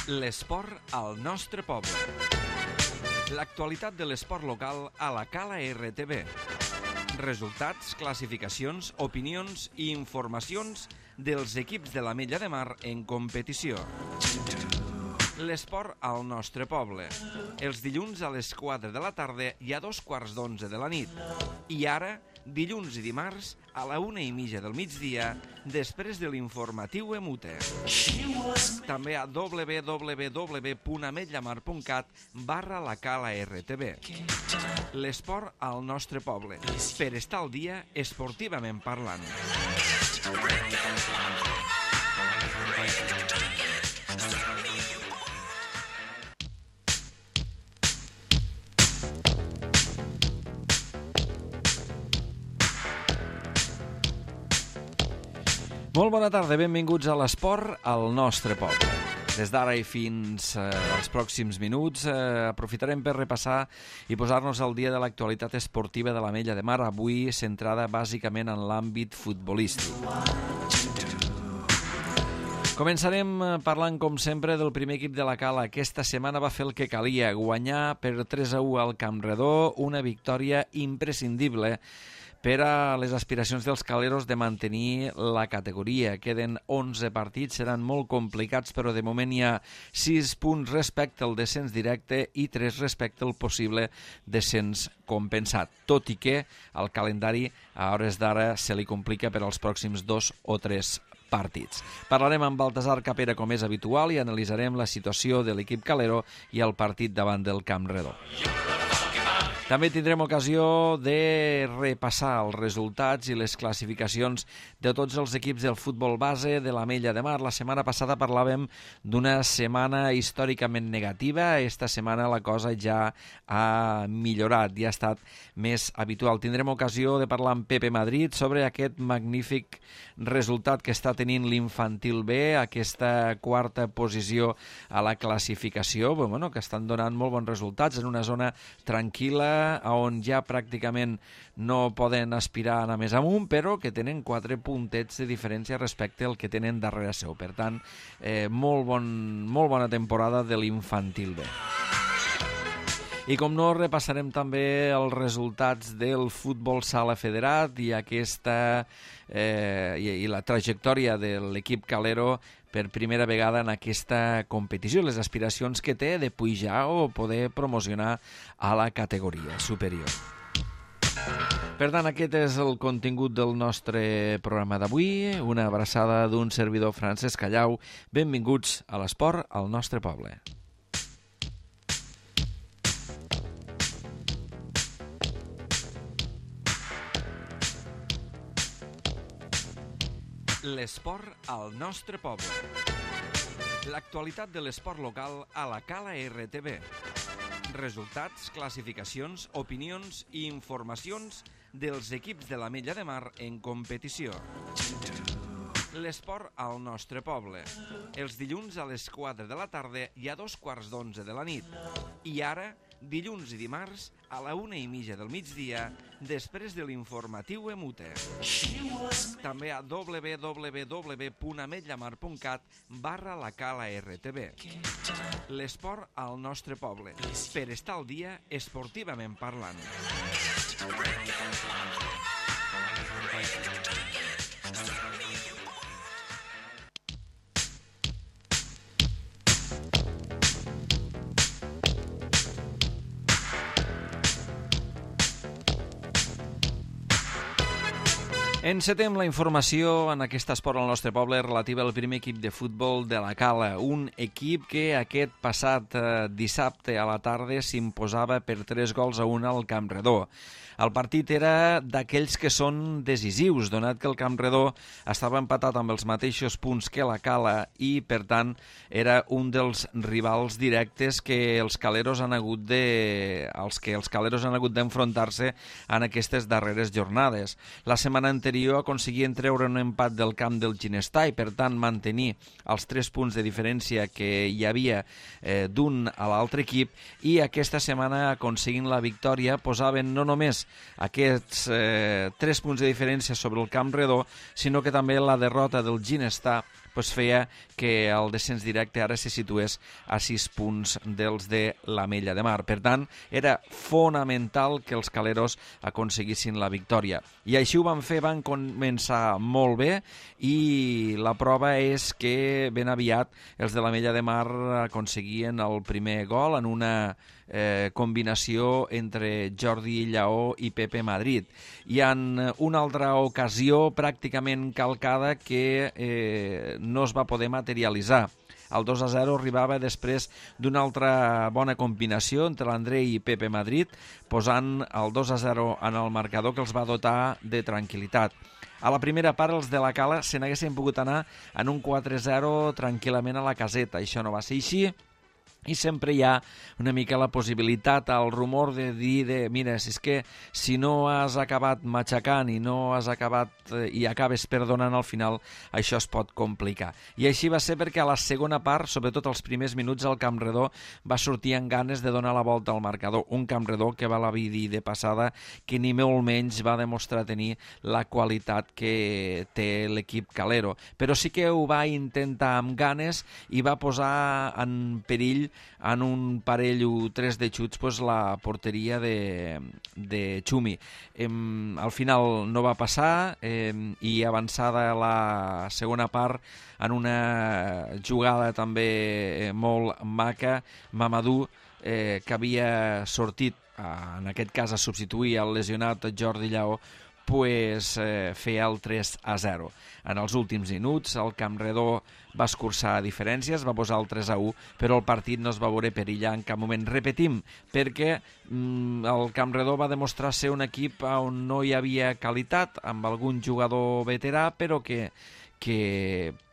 L'esport al nostre poble. L'actualitat de l'esport local a la Cala RTV. Resultats, classificacions, opinions i informacions dels equips de l'Ametlla de Mar en competició. L'esport al nostre poble. Els dilluns a les 4 de la tarda i a 2:15 de la nit. I ara, dilluns i dimarts, a la 1:30 del migdia, després de l'informatiu Emute. També a www.ametllamar.cat/la Cala RTV. L'esport al nostre poble. Per estar al dia, esportivament parlant. Molt bona tarda, benvinguts a l'esport al nostre poble. Des d'ara i fins als pròxims minuts aprofitarem per repassar i posar-nos al dia de l'actualitat esportiva de l'Ametlla de Mar, avui centrada bàsicament en l'àmbit futbolístic. Començarem parlant, com sempre, del primer equip de la Cala. Aquesta setmana va fer el que calia, guanyar per 3-1 al Campredó, una victòria imprescindible per a les aspiracions dels caleros de mantenir la categoria. Queden 11 partits, seran molt complicats, però de moment hi ha 6 punts respecte al descens directe i 3 respecte al possible descens compensat, tot i que el calendari a hores d'ara se li complica per als pròxims 2 o 3 partits. Parlarem amb Baltasar Capera, com és habitual, i analitzarem la situació de l'equip calero i el partit davant del Campredó. També tindrem ocasió de repassar els resultats i les classificacions de tots els equips del futbol base de l'Ametlla de Mar. La setmana passada parlàvem d'una setmana històricament negativa. Esta setmana la cosa ja ha millorat, ja ha estat més habitual. Tindrem ocasió de parlar amb Pepe Madrid sobre aquest magnífic resultat que està tenint l'Infantil B, aquesta quarta posició a la classificació, que estan donant molt bons resultats en una zona tranquil·la, on ja pràcticament no poden aspirar a anar més amunt, però que tenen 4 puntets de diferència respecte al que tenen darrere seu. Per tant, molt bona temporada de l'Infantil B. I com no, repassarem també els resultats del futbol sala federat i la trajectòria de l'equip calero per primera vegada en aquesta competició, les aspiracions que té de pujar o poder promocionar a la categoria superior. Per tant, aquest és el contingut del nostre programa d'avui. Una abraçada d'un servidor, Francesc Callau. Benvinguts a l'esport al nostre poble. L'esport al nostre poble. L'actualitat de l'esport local a la Cala RTV. Resultats, classificacions, opinions i informacions dels equips de l'Ametlla de Mar en competició. L'esport al nostre poble. Els dilluns a les 4 de la tarda i a 2:15 de la nit. I ara, dilluns i dimarts, a la 1:30 del migdia, després de l'informatiu Emute. També a www.ametllamar.cat/la Cala RTV. L'esport al nostre poble. Per estar al dia, esportivament parlant. Encetem la informació en aquest esport al nostre poble relativa al primer equip de futbol de la Cala, un equip que aquest passat dissabte a la tarda s'imposava per 3-1 al Campredó. El partit era d'aquells que són decisius, donat que el Campredó estava empatat amb els mateixos punts que la Cala i, per tant, era un dels rivals directes que els caleros han hagut d'enfrontar-se en aquestes darreres jornades. La setmana anterior aconseguien treure un empat del camp del Ginestar i, per tant, mantenir els 3 punts de diferència que hi havia d'un a l'altre equip, i aquesta setmana, aconseguint la victòria, posaven no només aquests 3 punts de diferència sobre el Campredó, sinó que també la derrota del Ginestar feia que el descens directe ara se situés a 6 punts dels de l'Ametlla de Mar. Per tant, era fonamental que els caleros aconseguissin la victòria. I així ho van fer, van començar molt bé i la prova és que ben aviat els de l'Ametlla de Mar aconseguien el primer gol en una combinació entre Jordi Lleó i Pepe Madrid. I en una altra ocasió pràcticament calcada que no es va poder materialitzar. El 2-0 arribava després d'una altra bona combinació entre l'Andrei i Pepe Madrid, posant el 2-0 en el marcador que els va dotar de tranquil·litat. A la primera part els de la Cala se n'haguessin pogut anar en un 4-0 tranquil·lament a la caseta. Això no va ser així. I sempre hi ha una mica la possibilitat, el rumor de dir mira, si no has acabat matxacant i no has acabat i acabes perdonant al final, això es pot complicar. I així va ser perquè a la segona part, sobretot els primers minuts, el Campredó va sortir amb ganes de donar la volta al marcador. Un Campredó que val a dir de passada que ni molt menys va demostrar tenir la qualitat que té l'equip calero. Però sí que ho va intentar amb ganes i va posar en perill en un parell o tres de xuts la porteria de Xumi. Al final no va passar i avançada la segona part en una jugada també molt maca, Mamadou, que havia sortit en aquest cas a substituir el lesionat Jordi Lleó, feia el 3-0. En els últims minuts el Campredó va escurçar diferències, va posar el 3-1, però el partit no es va veure perillar en cap moment. Repetim, perquè el Campredó va demostrar ser un equip on no hi havia qualitat, amb algun jugador veterà, però que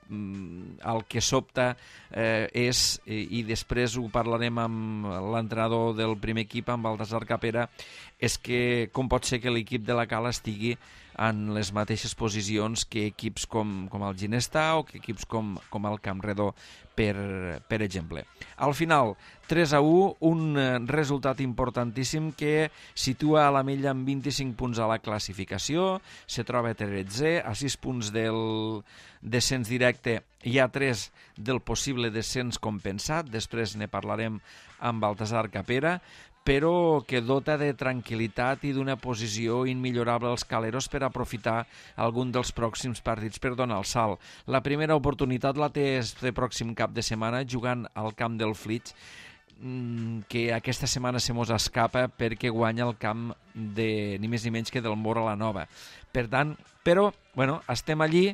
el que sobta és, i després ho parlarem amb l'entrenador del primer equip, amb Baltasar Capera, és que com pot ser que l'equip de la Cala estigui en les mateixes posicions que equips com el Ginestà o que equips com el Campredó, per exemple. Al final, 3-1, un resultat importantíssim que situa a l'Ametlla amb 25 punts a la classificació, se troba 13è, a 6 punts del descens directe, hi ha 3 del possible descens compensat, després ne parlarem amb Baltasar Capera, però que dota de tranquil·litat i d'una posició immillorable als caleros per aprofitar algun dels pròxims partits per donar el salt. La primera oportunitat la té este pròxim cap de setmana jugant al camp del Flix, que aquesta setmana se mos escapa perquè guanya el camp de ni més ni menys que del Móra la Nova. Per tant, però, estem allí.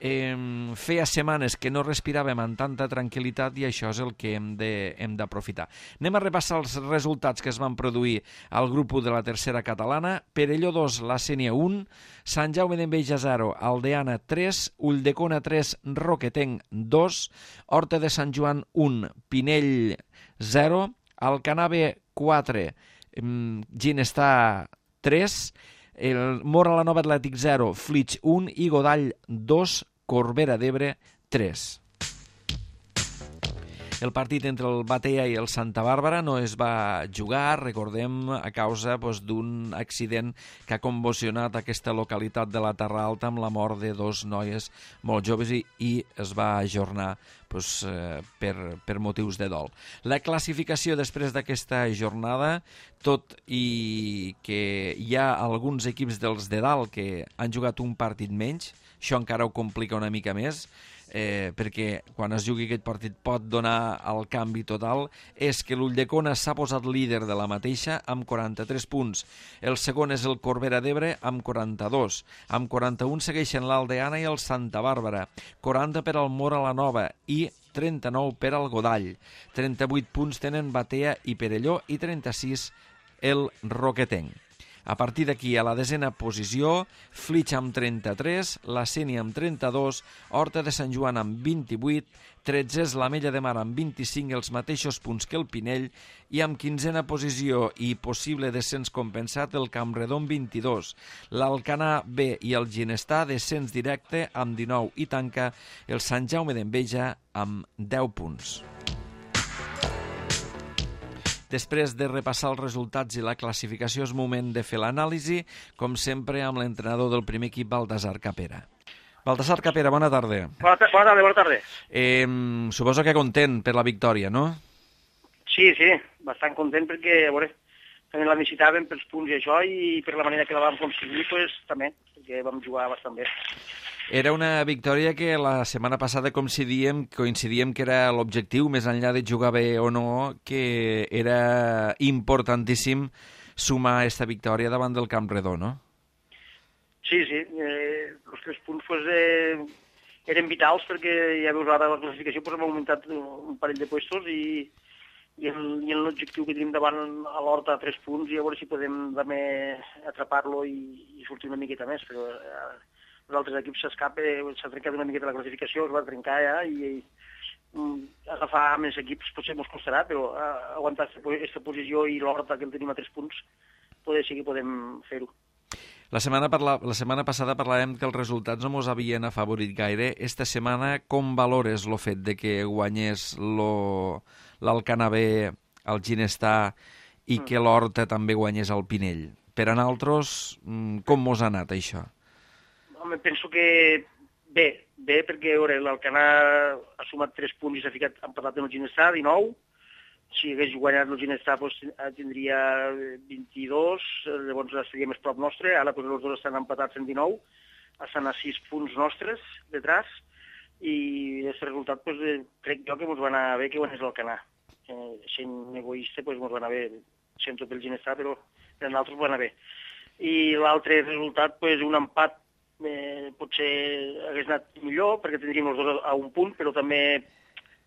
Feia setmanes que no respiràvem amb tanta tranquil·litat i això és el que hem d'aprofitar. Anem a repassar els resultats que es van produir al grup 1 de la tercera catalana. Perelló 2, la Sénia 1, Sant Jaume d'Enveja 0, Aldeana 3, Ulldecona 3, Roquetenc 2, Horta de Sant Joan 1, Pinell 0, Alcanar B 4, Ginestà 3, el Móra la Nova Atlètic 0, Flix 1 i Godall 2, Corbera d'Ebre 3. El partit entre el Batea i el Santa Bàrbara no es va jugar, recordem, a causa d'un accident que ha convulsionat aquesta localitat de la Terra Alta amb la mort de 2 noies molt joves i es va ajornar per motius de dol. La classificació després d'aquesta jornada, tot i que hi ha alguns equips dels de dalt que han jugat un partit menys, això encara ho complica una mica més, perquè quan es jugui aquest partit pot donar el canvi total, és que l'Ulldecona s'ha posat líder de la mateixa amb 43 punts. El segon és el Corbera d'Ebre amb 42. Amb 41 segueixen l'Aldeana i el Santa Bàrbara. 40 per al Móra la Nova i 39 per al Godall. 38 punts tenen Batea i Perelló i 36 el Roquetenc. A partir d'aquí, a la desena posició, Flix amb 33, la Sénia amb 32, Horta de Sant Joan amb 28, 13 és l'Ametlla de Mar amb 25, els mateixos punts que el Pinell, i amb 15a posició i possible descens compensat el Campredó amb 22, l'Alcanar B i el Ginestà descens directe amb 19 i tanca el Sant Jaume d'Enveja amb 10 punts. Després de repassar els resultats i la classificació és moment de fer l'anàlisi, com sempre amb l'entrenador del primer equip, Baltasar Capera. Baltasar Capera, bona tarda. Bona tarda. Suposo que content per la victòria, no? Sí, bastant content perquè, a veure, també la necessitàvem pels punts i això, i per la manera que la vam aconseguir, pues, també, perquè vam jugar bastant bé. Era una victòria que la setmana passada coincidíem que era l'objectiu, més enllà de jugar bé o no, que era importantíssim sumar aquesta victòria davant del Camp Redó, no? Sí, els 3 punts pues, eren vitals perquè ja veus ara la classificació pues, hem augmentat un parell de puestos i l'objectiu que tenim davant a l'Horta a 3 punts i a veure si podem també atrapar-lo i sortir una miqueta més, però els altres equips s'ha trencat una miqueta la classificació, es va trencar ja i agafar més equips potser ens costarà, però aguantar aquesta posició i l'Horta que el tenim a 3 punts poder ser que podem fer-ho. La setmana passada parlàvem que els resultats no ens havien afavorit gaire. Esta setmana, com valores el fet de que guanyés l'Alcanar B, el Ginestar, i que l'Horta també guanyés el Pinell? Per a nosaltres, com mos ha anat això? Home, penso que bé, perquè l'Alcanar ha sumat 3 punts i s'ha ficat empatat amb el Ginestar, 19. Si hagués guanyat el Ginestar tindria 22, llavors estaria més prop nostre. Ara els dos estan empatats en 19, estan a 6 punts nostres detrás, i aquest resultat crec jo que ens va anar bé que guanyés l'Alcanar. Sent egoista ens va anar bé, sento pel Ginestar, però per nosaltres va anar bé. I l'altre resultat, un empat potser hagués anat millor, perquè tindríem els dos a un punt, però també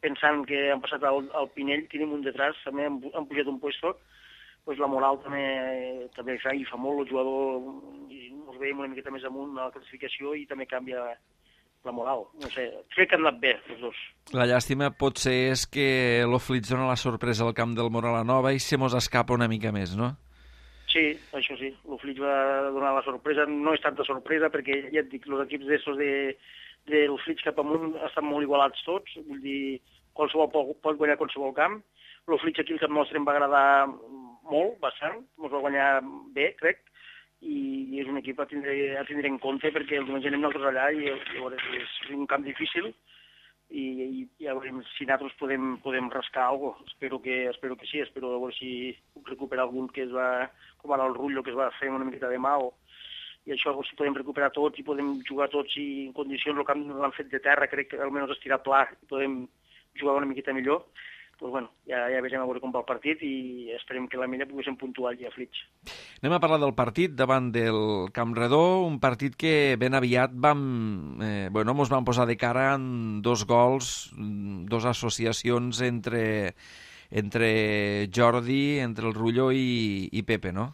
pensant que han passat al Pinell, tenim un detrás, també han pujat un puesto, la moral també fa molt, el jugador ens veiem una miqueta més amunt a la classificació i també canvia la moral. No sé, crec que han anat bé, els dos. La llàstima potser és que l'Oflitz dona la sorpresa al camp del Moralanova i se mos escapa una mica més, no? Sí, això sí, l'Oflitz va donar la sorpresa, no és tanta sorpresa perquè ja et dic, els equips del Flix cap amunt estan molt igualats tots, vull dir, qualsevol pot guanyar qualsevol camp. El Flix aquí al camp nostre em va agradar molt, bastant, ens va guanyar bé, crec, i és un equip a tindre en compte perquè el diumenge anem nosaltres allà i és un camp difícil i ja veurem si nosaltres podem rascar alguna cosa. Espero que sí, espero a veure si puc recuperar algun que es va, com ara el Rullo, que es va fer una miqueta de mà, i això si podem recuperar tots i podem jugar tots i en condicions el camp l'han fet de terra, crec que almenys estirar pla i podem jugar una miqueta millor, ja veurem a veure com va el partit i esperem que la Mella poguéssim puntuar allà a Flix. Anem a parlar del partit davant del Camp Redó, un partit que ben aviat mos vam posar de cara en 2 gols, 2 associacions entre Jordi, entre el Rullo i Pepe, no?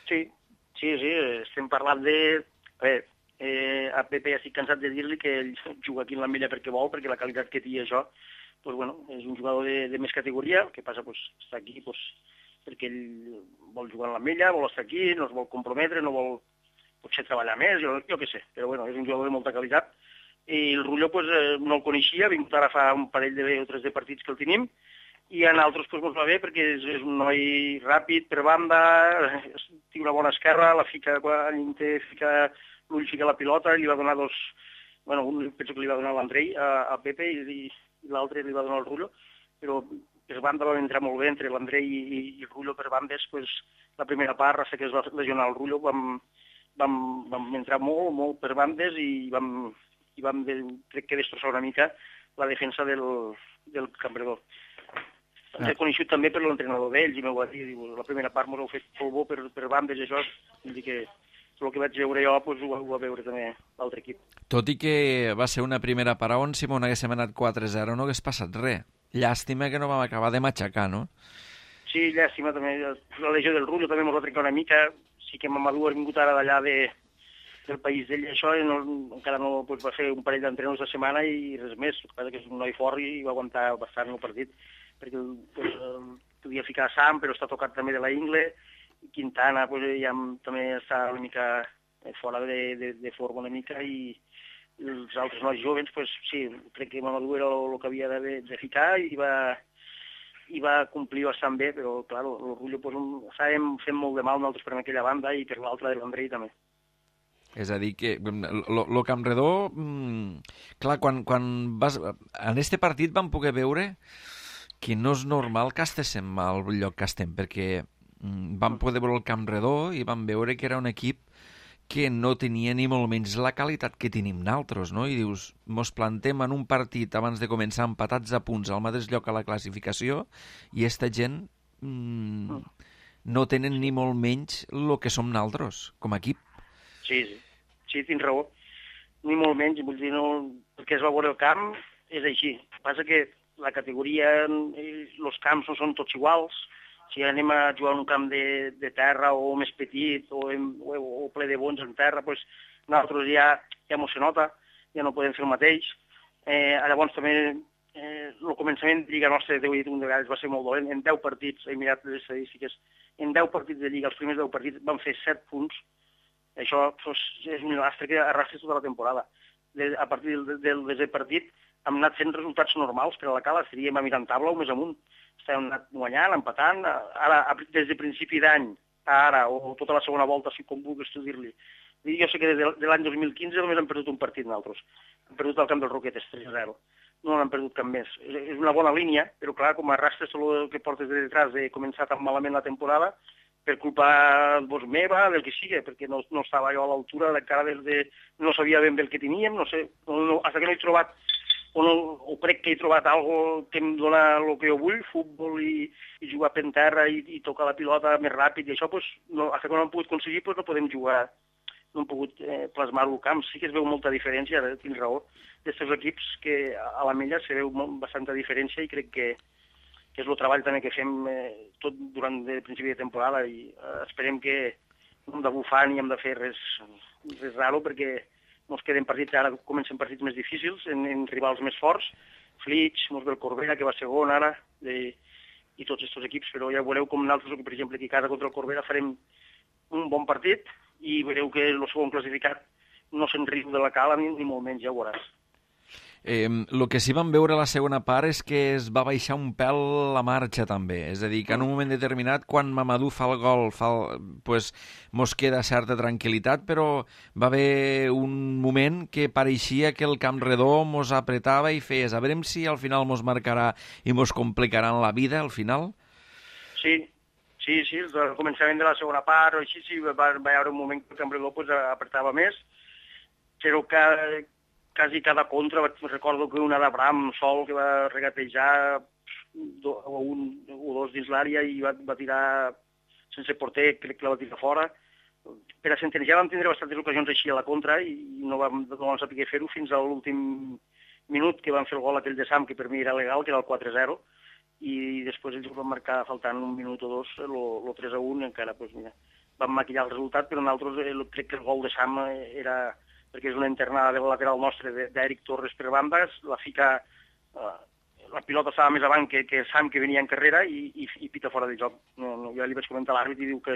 Sí, estem parlant de... A Pepe ja estic cansat de dir-li que ell juga aquí en la Mella perquè vol, perquè la qualitat que té això, és un jugador de més categoria, el que passa està aquí perquè ell vol jugar en la Mella, vol estar aquí, no es vol comprometre, no vol potser treballar més, jo què sé, però és un jugador de molta qualitat. I el Rullo no el coneixia, ha vingut ara fa un parell o 3 de partits que el tenim, i a nosaltres ens va bé perquè és un noi ràpid per banda, té una bona esquerra, la fica quan fica l'ull, fica la pilota, li va donar 2, un penso que li va donar l'Andrei a Pepe i l'altre li va donar el Rullo, però per banda vam entrar molt bé entre l'Andrei i el Rullo per bandes, la primera part, hasta que es va lesionar el Rullo, vam entrar molt per bandes i vam crec que destrossar una mica la defensa del Campredó. Ens he coneixut també per l'entrenador d'ells i m'ho va dir, la primera part m'ho heu fet molt bo per bandes i això, vull dir que el que vaig veure jo ho va veure també l'altre equip. Tot i que va ser una primera part on si m'ho haguéssim anat 4-0 no hagués passat res. Llàstima que no vam acabar de matxacar, no? Sí, llàstima també. La lesió del Rullo també ens va trencar una mica. Sí que Mamadou ha vingut ara d'allà del país d'ell, això encara no va fer un parell d'entrenadors de setmana i res més. El que passa que és un noi fort i va aguantar bastant el partit, perquè podia ficar Sam, però està tocat també de la ingle, i Quintana ja també està una mica fora de forma una mica, i els altres nois joves, sí, crec que Mamadou era el que havia de ficar i va complir bastant bé, però clar, el Rullo estàvem fent molt de mal nosaltres per aquella banda i per l'altra de l'Andrei també. És a dir, que lo Campredó, clar, quan vas... En este partit vam poder veure que no és normal que estéssim al lloc que estem, perquè vam poder veure el Campredó i vam veure que era un equip que no tenia ni molt menys la qualitat que tenim naltros, no? I dius, mos plantem en un partit abans de començar empatats a punts al mateix lloc a la classificació i esta gent no tenen ni molt menys el que som naltros, com a equip. Sí, tens raó. Ni molt menys, vull dir, no, el que es va veure el camp és així. El que passa que la categoria, els camps no són tots iguals. Si anem a jugar en un camp de terra o més petit o ple de bons en terra, doncs nosaltres ja no se nota, ja no podem fer el mateix. Llavors també el començament de Lliga nostra, t'ho he dit un de vegades, va ser molt dolent. En 10 partits, he mirat les estadístiques, en 10 partits de Lliga, els primers 10 partits van fer 7 punts. Això és un lastre que arrastra tota la temporada. A partir del desè partit hem anat fent resultats normals per a la Cala, estaríem a mirant taula o més amunt. Estàvem anat guanyant, empatant. Ara, des de principi d'any a ara, o tota la segona volta, si com vulguis tu dir-li. Jo sé que des de l'any 2015 només hem perdut un partit nosaltres. Hem perdut al camp del Roquetes, 3-0. No n'hem perdut cap més. És una bona línia, però clar, com arrastres tot el que portes de detrás de començar tan malament la temporada, per culpa meva, del que sigui, perquè no estava jo a l'altura, encara no sabia ben bé el que teníem, no sé, fins que no he trobat, o crec que he trobat alguna que em dona el que jo vull, futbol i jugar per terra i tocar la pilota més ràpid, i això, fins que no hem pogut aconseguir, no podem jugar, no hem pogut plasmar-ho al camp. Sí que es veu molta diferència, ara tens raó, d'aquests equips que a la Mella se veu bastanta diferència i crec que és el treball també que fem tot durant el principi de temporada i esperem que no hem de bufar ni hem de fer res raro perquè ens queden partits, ara comencen partits més difícils en rivals més forts, Flix, mos ve el Corbera, que va segon ara, i tots aquests equips, però ja veureu com nosaltres, per exemple, aquí a casa contra el Corbera farem un bon partit i veureu que el segon classificat no se'n riu de la Cala ni molt menys, ja ho veuràs. El que sí vam veure a la segona part és que es va baixar un pèl la marxa també, és a dir, que en un moment determinat quan Mamadou fa el gol pues, mos queda certa tranquil·litat, però va haver un moment que pareixia que el Camp Redó mos apretava i feies, a veure si al final mos marcarà i mos complicaran la vida al final. Sí, al començament de la segona part o així sí, va haver un moment que el Camp Redó pues, apretava més, però que quasi cada contra, recordo que una d'Abraham sol que va regatejar un o dos dins l'àrea i va tirar sense porter, crec que la va tirar fora. Per a Centennial vam tindre bastantes ocasions així a la contra i no vam saber fer-ho fins a l'últim minut que van fer el gol aquell de Sam, que per mi era legal, que era el 4-0, i després ells van marcar faltant un minut o dos el 3-1 i encara pues, mira, van maquillar el resultat, però nosaltres crec que el gol de Sam era perquè és una internada del lateral nostre d'Eric Torres per bandes, la pilota estava més avant que Sam, que venia en carrera, i pita fora de joc. Jo li vaig comentar a l'àrbit i diu que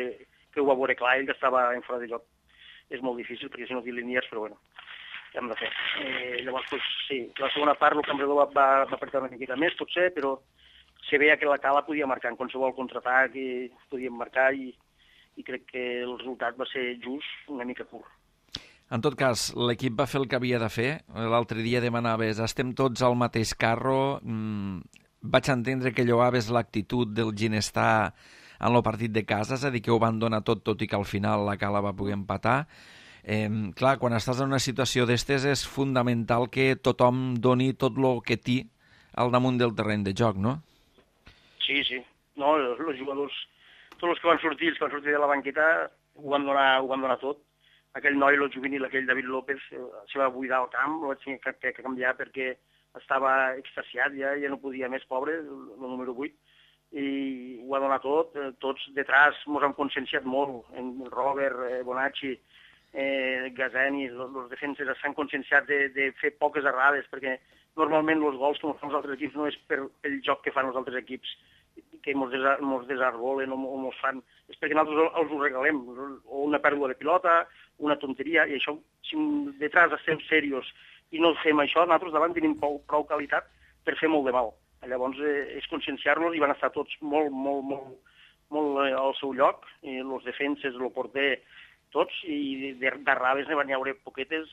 ho va veure clar, ell que estava en fora de joc. És molt difícil, perquè si no té línies, però bueno, què hem de fer? Llavors, pues, sí, la segona part el Camp Redó va apretar una miqueta més, potser, però se veia que la Cala podia marcar en qualsevol contraatac i podíem marcar i crec que el resultat va ser just una mica curt. En tot cas, l'equip va fer el que havia de fer. L'altre dia demanaves, estem tots al mateix carro. Vaig entendre que lloaves l'actitud del Ginestar en el partit de casa, és a dir, que ho van donar tot i que al final la Cala va poder empatar. Clar, quan estàs en una situació d'estes és fundamental que tothom doni tot el que té al damunt del terreny de joc, no? Sí. No, els jugadors, tots els que van sortir de la banqueta ho van donar tot. Aquell noi, el juvenil, aquell David López, se va buidar al camp, el vaig tenir que canviar perquè estava extasiat, ja no podia més, pobre, el número 8, i ho ha donat tot. Tots detrás ens hem conscienciat molt, en Robert, Bonacci, Gazeni, els defenses s'han conscienciat de fer poques errades, perquè normalment els gols que fan els altres equips no és per el joc que fan els altres equips, que ens desarbolen o ens fan, és perquè nosaltres els ho regalem, o una pèrdua de pilota, una tonteria, i això, si detrás estem serios i no fem això, nosaltres davant tenim prou qualitat per fer molt de mal. Llavors és conscienciar-nos i van estar tots molt al seu lloc, els defenses, el porter, tots, i d'arraves n'hi haurà poquetes,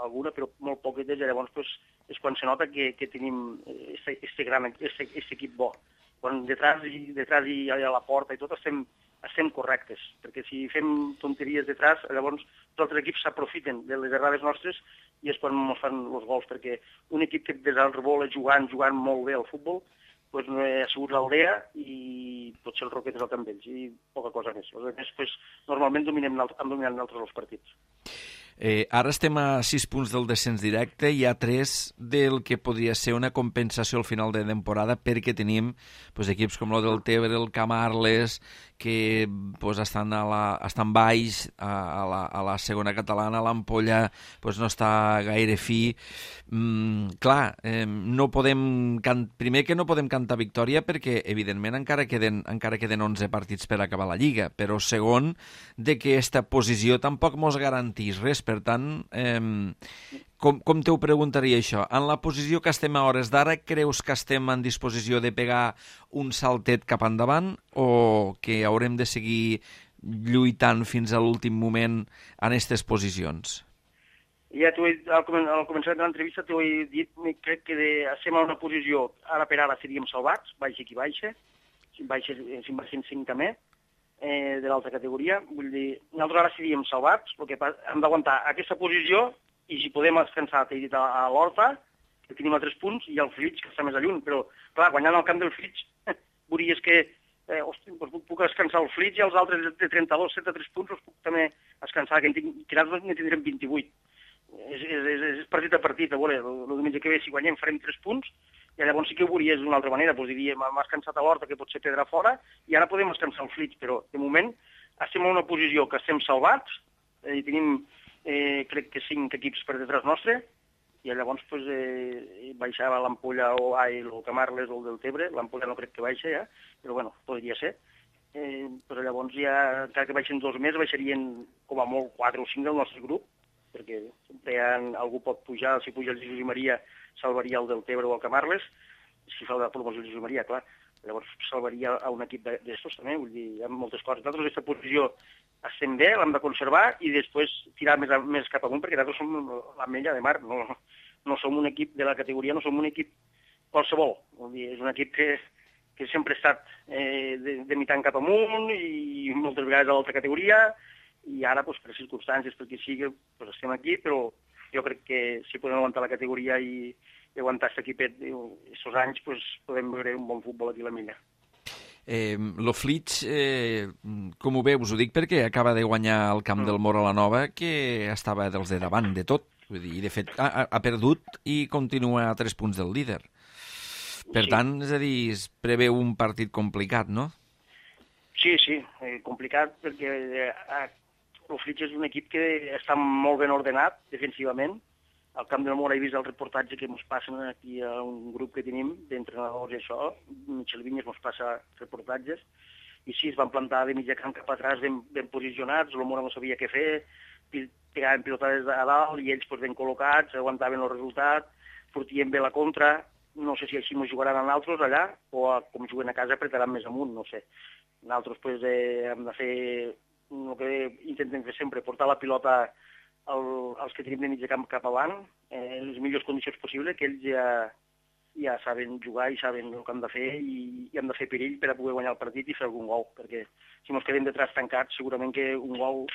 alguna, però molt poquetes, i llavors pues, és quan se nota que tenim aquest equip bo. Quan detrás i a la porta i tot estem correctes, perquè si fem tonteries detrás, llavors els altres equips s'aprofiten de les errades nostres i és quan ens fan els gols, perquè un equip que desenvolupa jugant molt bé al futbol, pues, no ha sigut l'Aldea i potser el Roquetes al Camp Vells, i poca cosa més. Els altres, pues, normalment han dominat nosaltres els partits. Ara estem a 6 punts del descens directe, hi ha 3 del que podria ser una compensació al final de temporada, perquè tenim equips com el del Tebre, el Camarles, que estan baix a la segona catalana, l'Ampolla no està gaire fi. Clar, primer que no podem cantar victòria perquè, evidentment, encara queden 11 partits per acabar la Lliga, però segon, de que aquesta posició tampoc mos garantís res. Per tant, com te ho preguntaria això? En la posició que estem a hores d'ara, creus que estem en disposició de pegar un saltet cap endavant o que haurem de seguir lluitant fins a l'últim moment en aquestes posicions? Ja al començament de l'entrevista t'ho he dit, crec que estem en una posició, ara per ara seríem salvats, baixa qui baixa, si baixen 5 també, de l'altra categoria. Vull dir, nosaltres ara seríem salvats, el que hem d'aguantar aquesta posició i si podem descansar, t'he dit, a l'Horta, que tenim a 3 punts, i al Flix, que està més a lluny, però, clar, guanyant al camp del Flix, veuries que puc descansar el Flix i els altres de 32, 73 punts els puc també descansar, que nosaltres ne tindrem 28. És partit a partit, a veure, el diumenge que ve, si guanyem, farem 3 punts, i llavors sí que ho veuries d'una altra manera, doncs diríem, hem descansat a l'Horta, que pot ser pedra fora, i ara podem descansar el Flix, però de moment estem en una posició que estem salvats, i tenim, crec que 5 equips per detrás nostre, i llavors baixava l'Ampolla o el Camarles o el del Tebre, l'Ampolla no crec que baixa ja, però bueno, podria ser. Però llavors ja, encara que baixen 2 més, baixarien com a molt 4 o 5 del nostre grup, perquè sempre algú pot pujar, si puja el Jesús i Maria salvaria el del Tebre o el Camarles, si fa la promoció el Jesús i Maria, clar, llavors salvaria a un equip d'estos també, vull dir, hi ha moltes coses. Nosaltres aquesta posició estem bé, l'hem de conservar i després tirar més cap amunt, perquè nosaltres som l'Ametlla de Mar, no som un equip de la categoria, no som un equip qualsevol, vull dir, és un equip que sempre ha estat de mitant cap amunt i moltes vegades a l'altra categoria, i ara, per circumstàncies, perquè sigui, estem aquí, però jo crec que si podem aguantar la categoria i aguantar aquest equipet aquests anys, podem veure un bon futbol aquí a la Milla. Lo Flix, com ho veus? Ho dic perquè acaba de guanyar el camp del Mora la Nova, que estava dels de davant de tot. Vull dir, i de fet ha perdut i continua a 3 punts del líder. Per tant, és a dir, es preveu un partit complicat, no? Sí, complicat perquè el Flix és un equip que està molt ben ordenat defensivament. Al camp del Mora he vist el reportatge que ens passen aquí a un grup que tenim d'entrenadors i això, Michel Vinyes ens passa reportatges, i sí, es van plantar de mitja camp cap atràs ben posicionats, el Mora no sabia què fer, pegaven pilotades a dalt i ells ben col·locats, aguantaven el resultat, sortien bé la contra, no sé si així ens jugaran a nosaltres allà, o com juguen a casa apretaran més amunt, no sé. Nosaltres hem de fer el que intentem fer sempre, portar la pilota als que tenim de mitja camp cap avant, en les millors condicions possibles, que ells ja saben jugar i saben el que han de fer i han de fer perill per a poder guanyar el partit i fer algun gol, perquè si ens quedem detrás tancats segurament que un gol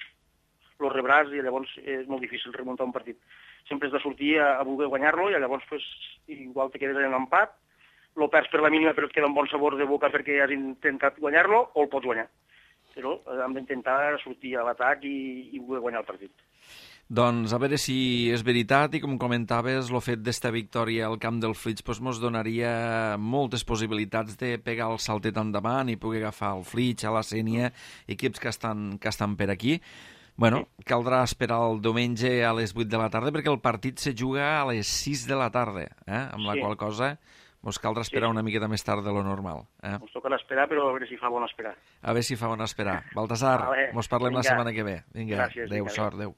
el rebràs i llavors és molt difícil remuntar un partit. Sempre has de sortir a voler guanyar-lo i llavors igual te quedes en empat, lo perds per la mínima però et queda un bon sabor de boca perquè has intentat guanyar-lo o el pots guanyar. Però hem d'intentar sortir a l'atac i voler guanyar el partit. Doncs a veure si és veritat i com comentaves, el fet d'esta victòria al camp del Flix ens donaria moltes possibilitats de pegar el saltet endavant i poder agafar el Flix, a la Sénia, equips que estan per aquí. Bueno, caldrà esperar el diumenge a les 8 de la tarda perquè el partit se juga a les 6 de la tarda, amb la qual cosa ens caldrà esperar una miqueta més tard de lo normal. Ens tocarà esperar, però a veure si fa bon esperar. A veure si fa bon esperar. Baltasar, ens parlem la setmana que ve. Vinga, adéu, sort, adéu.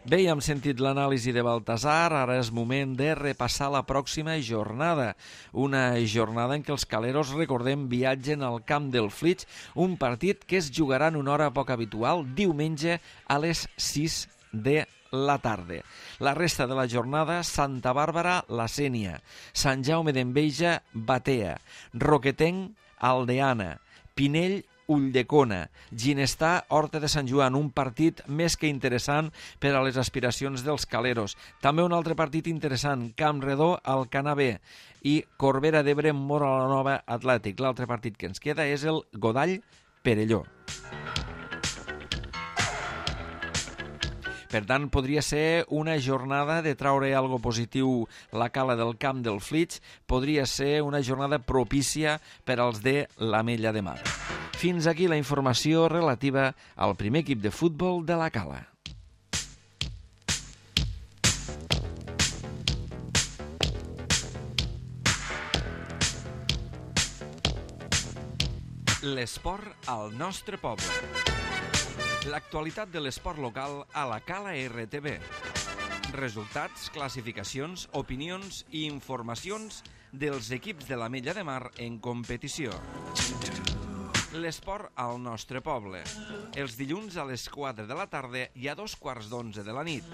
Bé, ja hem sentit l'anàlisi de Baltasar, ara és moment de repassar la pròxima jornada. Una jornada en què els caleros, recordem, viatgen al camp del Flix, un partit que es jugarà en una hora poc habitual, diumenge a les 6 de la tarda. La resta de la jornada, Santa Bàrbara, La Sénia, Sant Jaume d'Enveja, Batea, Roquetenc, Aldeana, Pinell, Ulldecona, Ginestar, Horta de Sant Joan, un partit més que interessant per a les aspiracions dels caleros. També un altre partit interessant, Campredó, Alcanar B i Corbera d'Ebre, Móra-la-Nova, Atlètic. L'altre partit que ens queda és el Godall-Perelló. Per tant, podria ser una jornada de traure algo positiu la cala del camp del Flix, podria ser una jornada propícia per als de l'Ametlla de Mar. Fins aquí la informació relativa al primer equip de futbol de la cala. L'esport al nostre poble. L'actualitat de l'esport local a la Cala RTV. Resultats, classificacions, opinions i informacions dels equips de l'Ametlla de Mar en competició. L'esport al nostre poble. Els dilluns a les 4 de la tarda i a 2:15 de la nit.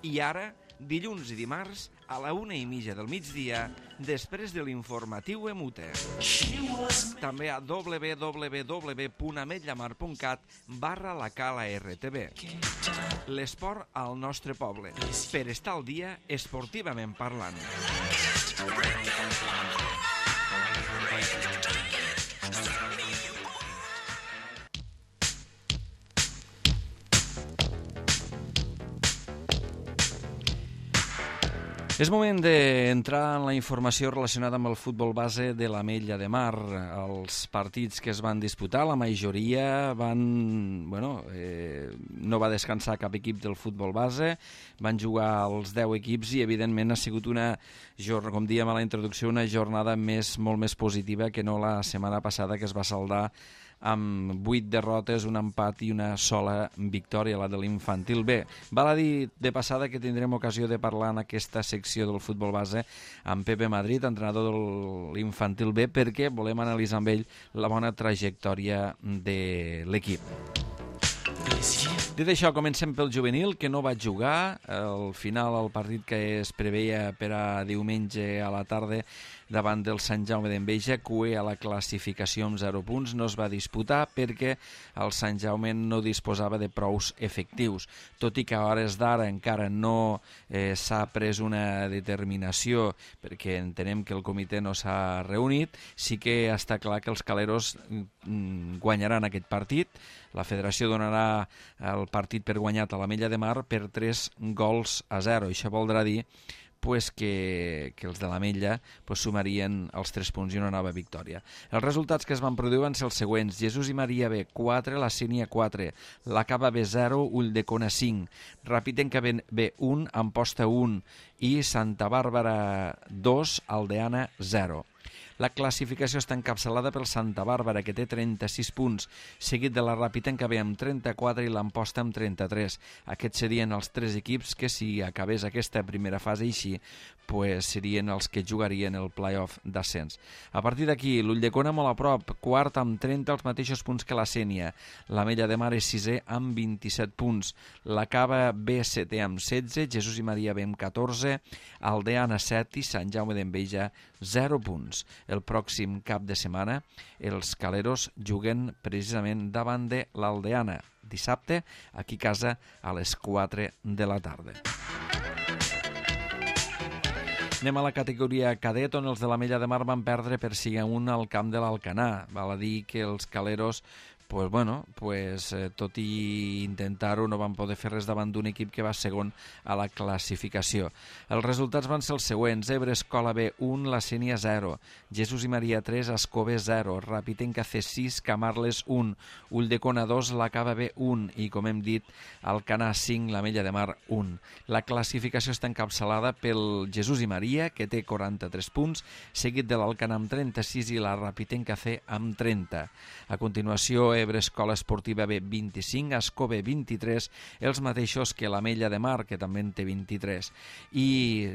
I ara, dilluns i dimarts, a la 1:30 del migdia, després de l'informatiu Emute. També a www.ametllamar.cat/la Cala RTV. L'esport al nostre poble. Per estar al dia, esportivament parlant. És moment d'entrar en la informació relacionada amb el futbol base de l'Ametlla de Mar. Els partits que es van disputar, la majoria no va descansar cap equip del futbol base, van jugar els 10 equips i evidentment ha sigut una, com dèiem a la introducció, una jornada molt més positiva que no la setmana passada, que es va saldar amb 8 derrotes, un empat i una sola victòria, la de l'Infantil B. Val a dir de passada que tindrem ocasió de parlar en aquesta secció del futbol base amb Pepe Madrid, entrenador de l'Infantil B, perquè volem analitzar amb ell la bona trajectòria de l'equip. Dit això, comencem pel juvenil, que no va jugar. Al final, el partit que es preveia per a diumenge a la tarda davant del Sant Jaume d'Enveja, cué a la classificació amb 0 punts, no es va disputar perquè el Sant Jaume no disposava de prous efectius. Tot i que a hores d'ara encara no s'ha pres una determinació, perquè entenem que el comitè no s'ha reunit, sí que està clar que els caleros guanyaran aquest partit. La federació donarà el partit per guanyat a l'Ametlla de Mar per 3-0. Això voldrà dir que els de l'Ametlla sumarien els 3 punts i una nova victòria. Els resultats que es van produir van ser els següents: Jesús i Maria B, 4, La Sénia 4, la Cava B 0, Ulldecona 5, Ràpitenca B 1, Amposta 1 i Santa Bàrbara 2, Aldeana 0. La classificació està encapçalada pel Santa Bàrbara, que té 36 punts, seguit de la Ràpitenca B amb 34 i l'Amposta amb 33. Aquests serien els 3 equips que, si acabés aquesta primera fase així, serien els que jugarien el play-off d'ascens. A partir d'aquí, l'Ulldecona molt a prop, quart amb 30, els mateixos punts que la Sénia. L'Ametlla de Mar és 6è amb 27 punts. La Cava B 7è amb 16, Jesús i Maria B amb 14, Aldeana 7 i Sant Jaume d'Enveja 0 punts. El pròxim cap de setmana els caleros juguen precisament davant de l'Aldeana, dissabte, aquí a casa a les 4 de la tarda. Anem a la categoria cadet, on els de l'Ametlla de Mar van perdre per 5-1 al camp de l'Alcanar. Val a dir que els caleros tot i intentar-ho, no van poder fer res davant d'un equip que va segon a la classificació. Els resultats van ser els següents: Ebre Escola B 1, La Sénia 0, Jesús i Maria 3, Ascó B 0, Ràpitenca C 6, Camarles 1, Ulldecona 2, La Cava B 1 i, com hem dit, Alcanar 5, l'Ametlla de Mar 1. La classificació està encapçalada pel Jesús i Maria, que té 43 punts, seguit de l'Alcanar amb 36 i la Ràpitenca C amb 30. A continuació, Ebre Escola Esportiva B 25, Ascó B 23, els mateixos que l'Ametlla de Mar, que també en té 23. I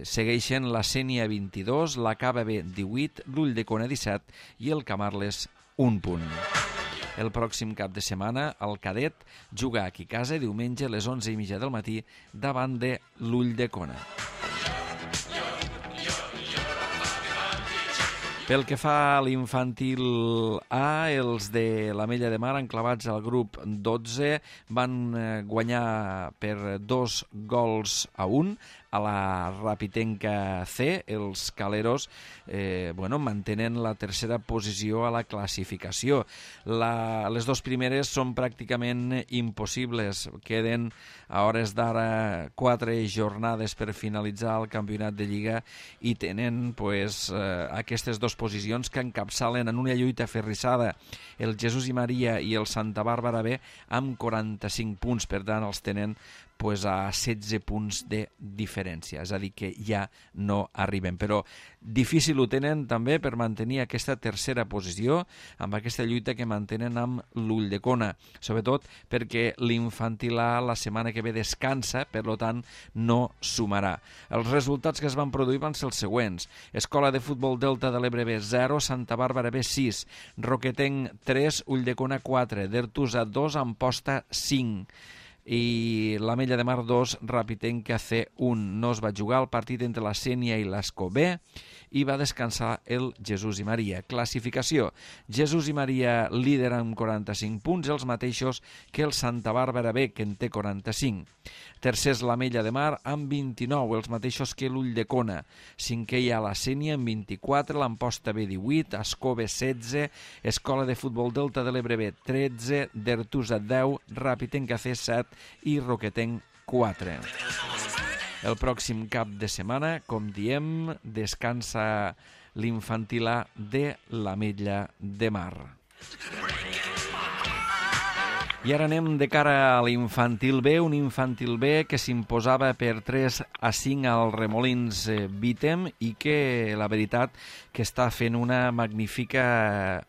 segueixen la Sénia 22, la Cava B 18, l'Ulldecona 17 i el Camarles 1 punt. El pròxim cap de setmana, el Cadet juga aquí a casa diumenge a les 11:30 del matí davant de l'Ulldecona. Pel que fa a l'infantil A, els de l'Ametlla de Mar, enclavats al grup 12, van guanyar per 2-1 a la Rapitenca C. Els caleros mantenen la tercera posició a la classificació. Les dues primeres són pràcticament impossibles. Queden a hores d'ara 4 jornades per finalitzar el campionat de Lliga i tenen aquestes dues posicions que encapçalen en una lluita ferrissada el Jesús i Maria i el Santa Bàrbara B amb 45 punts. Per tant, els tenen a 16 punts de diferència, és a dir, que ja no arriben. Però difícil ho tenen també per mantenir aquesta tercera posició amb aquesta lluita que mantenen amb l'Ulldecona, sobretot perquè l'infantil A la setmana que ve descansa, per tant no sumarà. Els resultats que es van produir van ser els següents: Escola de Futbol Delta de l'Ebre B 0, Santa Bàrbara B 6, Roquetenc 3, Ulldecona 4, Dertusa 2, Amposta 5, i l'Ametlla de Mar 2, Rapitenca C 1. No es va jugar el partit entre la Sénia i l'Ascó B i va descansar el Jesús i Maria. Classificació: Jesús i Maria líder amb 45 punts, els mateixos que el Santa Bàrbara B, que en té 45. Tercer és l'Ametlla de Mar amb 29, els mateixos que l'Ulldecona. Cinquè hi ha la Sénia amb 24, l'Amposta B 18, Ascó B 16, Escola de Futbol Delta de l'Ebre B 13, Dertusa 10, Rapitenca C 7 i Roquetenc 4. El pròxim cap de setmana, com diem, descansa l'infantil A de l'Ametlla de Mar. I ara anem de cara a l'infantil B, un infantil B que s'imposava per 3-5 al Remolins Bítem i que la veritat que està fent una magnífica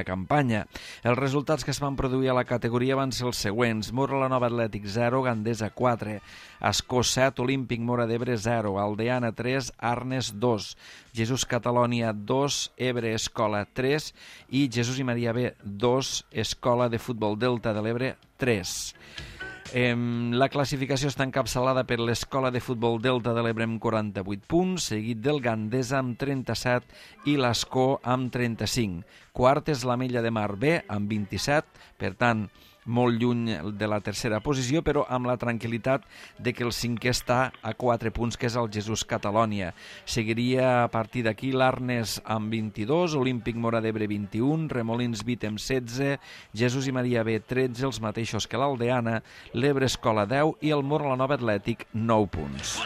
campanya. Els resultats que es van produir a la categoria van ser els següents: Mora la Nova Atlètic 0, Gandesa 4, Ascó 7, Olímpic Mora d'Ebre 0, Aldeana 3, Arnes 2, Jesús Catalònia 2, Ebre Escola 3 i Jesús i Maria B 2, Escola de Futbol Delta de l'Ebre 3. La classificació està encapçalada per l'Escola de Futbol Delta de l'Ebre amb 48 punts, seguit del Gandesa amb 37 i l'Ascó amb 35. Quart és l'Ametlla de Mar B amb 27, per tant, molt lluny de la tercera posició, però amb la tranquil·litat de que el cinquè està a 4 punts, que és el Jesús Catalònia. Seguiria a partir d'aquí l'Arnes amb 22, Olímpic Mora d'Ebre 21, Remolins Bítem 16, Jesús i Maria B 13, els mateixos que l'Aldeana, l'Ebre Escola 10 i el Mora la Nova Atlètic 9 punts.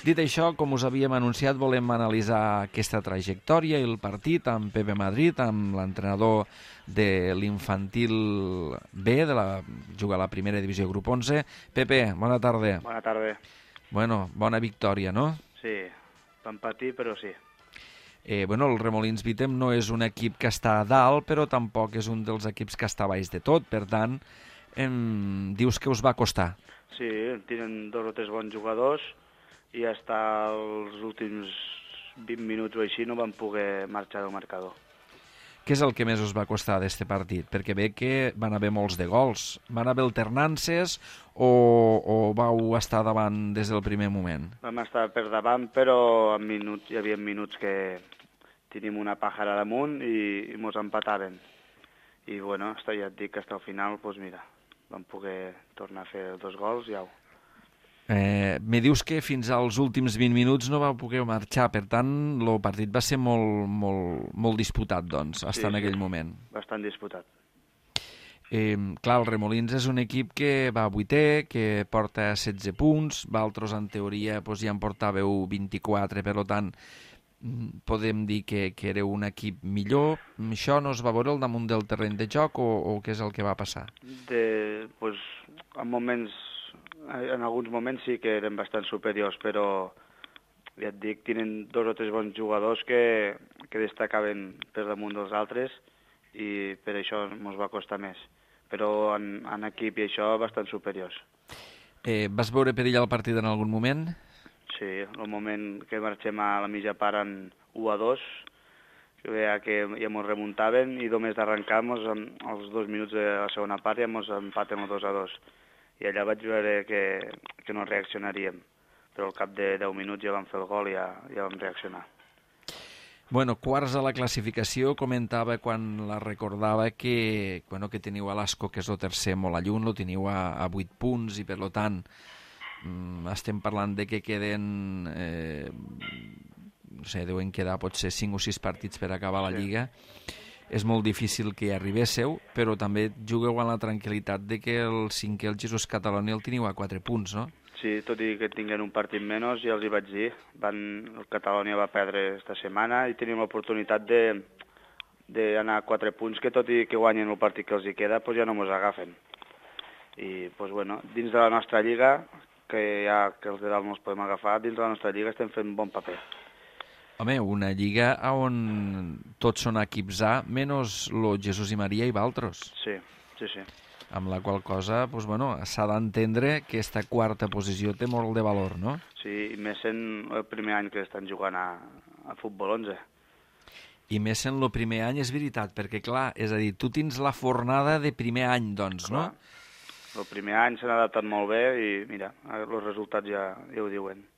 Dit això, com us havíem anunciat, volem analitzar aquesta trajectòria i el partit amb Pepe Madrid, amb l'entrenador de l'infantil B, juga a la primera divisió grup 11. Pepe, bona tarda. Bona tarda. Bueno, bona victòria, no? Sí, vam patir, però sí. El Remolins Bítem no és un equip que està a dalt, però tampoc és un dels equips que està a baix de tot, per tant, dius que us va costar. Sí, tenen 2 o 3 bons jugadors i fins els últims 20 minuts o així no van poder marxar del marcador. Què és el que més us va costar d'aquest partit? Perquè ve que van haver molts de gols. Van haver alternances o vau estar davant des del primer moment? Vam estar per davant, però hi havia minuts que tenim una pàjara damunt i mos empataven. I bueno, ja et dic que fins al final, doncs mira, vam poder tornar a fer 2 gols i au. Me dius que fins als últims 20 minuts no vau poder marxar, per tant, el partit va ser molt disputat, doncs, fins en aquell moment. Bastant disputat. Clar, el Remolins és un equip que va a 8è, que porta 16 punts, vosaltres en teoria ja en portàveu 24, per tant, podem dir que éreu un equip millor. Això no es va veure al damunt del terreny de joc o què és el que va passar? En alguns moments sí que eren bastant superiors, però ja et dic, tenen 2 o 3 bons jugadors que destacaven per damunt dels altres i per això ens va costar més. Però en equip i això bastant superiors. Vas veure perill al partit en algun moment? Sí, el moment que marxem a la mitja part en 1-2, que veia que ja ens remuntaven i només d'arrencar als 2 minuts de la segona part ja ens empaten el 2-2. I allà vaig veure que no reaccionaríem, però al cap de 10 minuts ja vam fer el gol i ja vam reaccionar. Bueno, quarts a la classificació, comentava quan la recordava que teniu a l'Asco, que és el tercer molt a lluny, lo teniu a 8 punts i per tant estem parlant de que queden, no sé, deuen quedar potser 5 o 6 partits per acabar la Lliga. És molt difícil que hi arribéssiu, però també jugueu amb la tranquil·litat de que el cinquè, el Jesús Cataloni, el teniu a 4 punts, no? Sí, tot i que tinguen un partit menys, ja els hi vaig dir. El Catalunya va perdre esta setmana i tenim l'oportunitat d'anar a 4 punts, que tot i que guanyen el partit que els hi queda, doncs ja no ens agafen. I, doncs, bueno, dins de la nostra lliga, que els de dalt no els podem agafar, dins de la nostra lliga estem fent bon paper. Home, una lliga on tots són equips A, menys lo Jesús i Maria i Valtros. Sí, sí, sí. Amb la qual cosa, doncs, bueno, s'ha d'entendre que aquesta quarta posició té molt de valor, no? Sí, i més en el primer any que estan jugant a futbol 11. I més en el primer any, és veritat, perquè, clar, és a dir, tu tens la fornada de primer any, doncs, clar, no? El primer any s'han adaptat molt bé i, mira, els resultats ja ho diuen.